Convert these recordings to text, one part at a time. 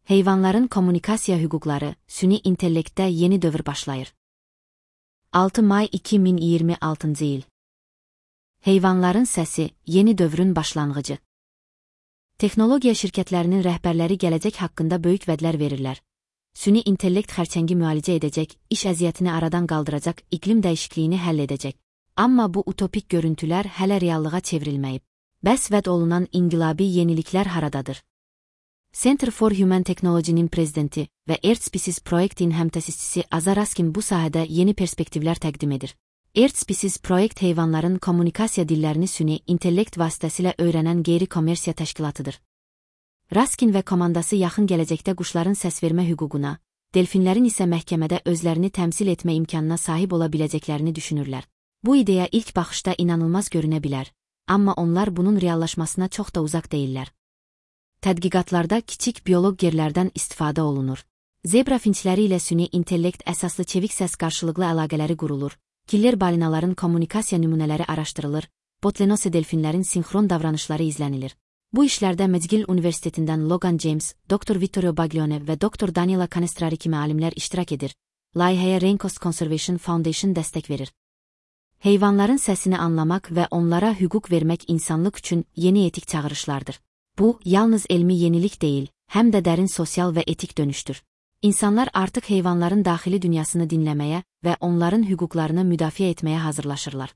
Heyvanların kommunikasiya hüquqları, süni intellektdə yeni dövr başlayır. 6 may 2026-cı il. Heyvanların səsi, yeni dövrün başlanğıcı. Texnologiya şirkətlərinin rəhbərləri gələcək haqqında böyük vədlər verirlər. Süni intellekt xərçəngi müalicə edəcək, iş əziyyətini aradan qaldıracaq, iqlim dəyişikliyini həll edəcək. Amma bu utopik görüntülər hələ reallığa çevrilməyib. Bəs vəd olunan inqilabi yeniliklər haradadır? Center for Human Technology-nin prezidenti və Earth-Species proyektinin həmtəsisçisi Aza Raskin bu sahədə yeni perspektivlər təqdim edir. Earth-Species proyekt heyvanların kommunikasiya dillərini süni intellekt vasitəsilə öyrənən qeyri-kommersiya təşkilatıdır. Raskin və komandası yaxın gələcəkdə quşların səsvermə hüququna, delfinlərin isə məhkəmədə özlərini təmsil etmə imkanına sahib ola biləcəklərini düşünürlər. Bu ideya ilk baxışda inanılmaz görünə bilər, amma onlar bunun reallaşmasına çox da uzaq deyillər. Tədqiqatlarda kiçik bioloq gerlərdən istifadə olunur. Zebra finçləri ilə süni intellekt əsaslı çevik səs qarşılıqlı əlaqələri qurulur, killer balinaların kommunikasiya nümunələri araşdırılır, botlenose delfinlərin sinxron davranışları izlənilir. Bu işlərdə McGill Universitetindən Logan James, Dr. Vittorio Baglione və Dr. Daniela Canestrari kimi alimlər iştirak edir. Layihəyə Raincoast Conservation Foundation dəstək verir. Heyvanların səsini anlamaq və onlara hüquq vermək insanlıq üçün yeni etik çağırışlardır. Bu, yalnız elmi yenilik deyil, həm də dərin sosial və etik dönüşdür. İnsanlar artıq heyvanların daxili dünyasını dinləməyə və onların hüquqlarını müdafiə etməyə hazırlaşırlar.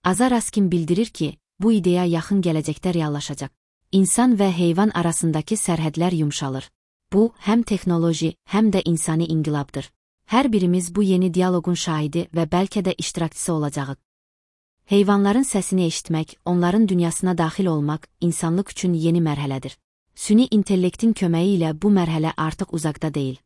Aza Raskin bildirir ki, bu ideya yaxın gələcəkdə reallaşacaq. İnsan və heyvan arasındakı sərhədlər yumşalır. Bu, həm texnoloji, həm də insani inqilabdır. Hər birimiz bu yeni dialoqun şahidi və bəlkə də iştirakçısı olacağıq. Heyvanların səsini eşitmək, onların dünyasına daxil olmaq, insanlıq üçün yeni mərhələdir. Süni intellektin köməyi ilə bu mərhələ artıq uzaqda deyil.